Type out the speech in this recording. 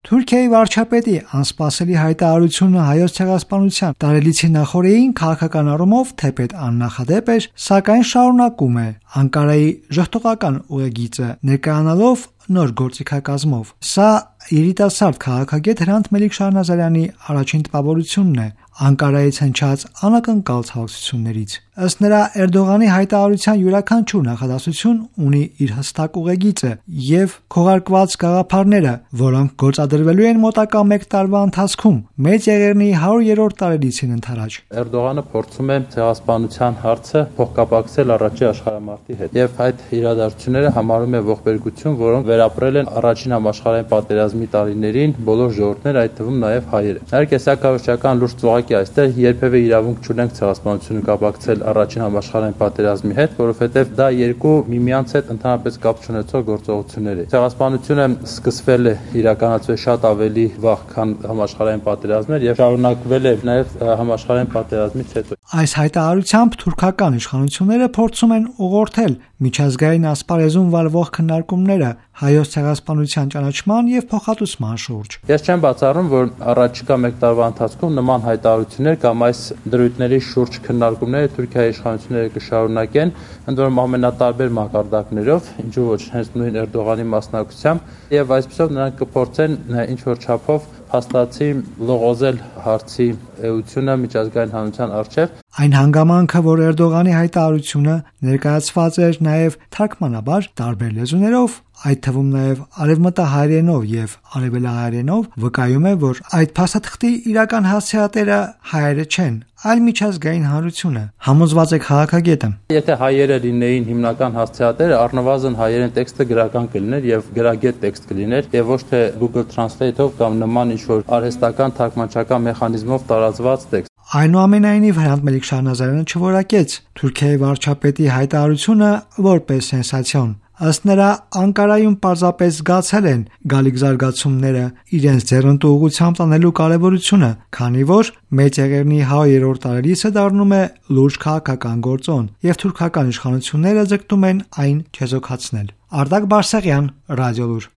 Թուրքիայի վարչապետի անսպասելի հայտարարությունը հայոց ցեղասպանության տարելիցի նախօրեին քաղաքական առումով թեպետ աննախադեպ էր, սակայն շարունակում է Անկարայի ժողովրդական ուղեգիծը ներկայանալով նոր գործիքակազմով։ Սա երիտասարդ քաղաքագետ Հրանտ Մելիք-Շահնազարյանի առաջին տպավորությունն է Անկարայից հնչած անակնկալ ցավակցություններից։ Ըստ նրա, Էրդողանի հայտարարության յուրաքանչյուր նախադասություն ունի իր հստակ ուղեգիծը եւ քողարկված գաղափարները, որոնք գործադրվելու են մոտակա 1 տարվա ընթացքում Մեծ Եղեռնի 100-րդ տարելիցին ընթരാճ։ Էրդողանը փորձում է ցեղասպանության հարցը փոխկապակցել առաջին աշխարհամարտի հետ եւ այդ իրադարձությունները համարում է ողբերգություն, որոնք վերապրել են առաջին համաշխարհային պատերազմի տարիներին բոլոր ժողովուրդները, այդ թվում նաեւ հայերը։ Իհարկե, սա կառուցչական լուրջ ծուղակ է այստեղ, երբևէ իրավունք չունենք ցեղասպանությունը կապակցել առաջին համաշխարհային պատերազմի հետ, որովհետև դա երկու միմյանց հետ ընդհանրապես կապ չունեցող գործողություններ են։ Ցեղասպանությունը սկսվել է իրականացվել շատ ավելի վաղ, քան համաշխարհային պատերազմներ եւ շարունակվել է նաեւ համաշխարհային պատերազմից հետո։ Այս հայտարարությամբ թուրքական իշխանությունները փորձում են ուղղորդել միջազգային ասպարեզում վարվող քննարկումները հայոց ցեղասպանության ճանաչման եւ փոխհատուցման շուրջ։ Ես չեմ բացառում, որ առաջիկա 1 տարվա ընթացքում նման հայտարարություններ կամ այս դրույթների շուրջ քննարկումները Թուրքիայի իշխանությունները կշարունակեն, ընդ որում ամենատարբեր մակարդակներով, ինչու ոչ հենց նույն Էրդողանի մասնակցությամբ, եւ այսպեսով նրանք կփորձեն ինչ որ չափով հաստատի լողոզել հարցի էությունը միջազգային հանրության առջև։ Այն հանգամանքը, որ Էրդողանի հայտարարությունը ներկայացված էր նաև թարգմանաբար տարբեր լեզուներով, այդ թվում նաև արևմտահայերենով եւ արևելահայերենով, վկայում է, որ այդ փաստաթղթի իրական հասցեատերը հայերը չեն, այլ միջազգային հանրությունը, համոզված է քաղաքագետը։ Եթե հայերը լինեին հիմնական հասցեատերը, առնվազն հայերեն տեքստը գրական կլիներ եւ գրագետ տեքստ կլիներ եւ ոչ թե Google Translate-ով կամ նման ինչ-որ արհեստական թարգմանչական մեխանիզմով տարածված տեքստ։ Այնուամենայնիվ Հրանտ Մելիք-Շահնազարյանը չորակեց Թուրքիայի վարչապետի հայտարարությունը որպես սենսացիոն։ Ըստ նրա, Անկարայում պարզապես զգացել են գալիք զարգացումները իրենց ձեռնտու ուղղությամբ տանելու կարևորությունը, քանի որ Մեծ Եղեռնի 100-րդ տարելիցը դառնում է լուրջ քաղաքական գործոն, եւ թուրքական իշխանությունները ձգտում են այն չեզոքացնել։ Արտակ Բարսեղյան, Ռադիոլուր։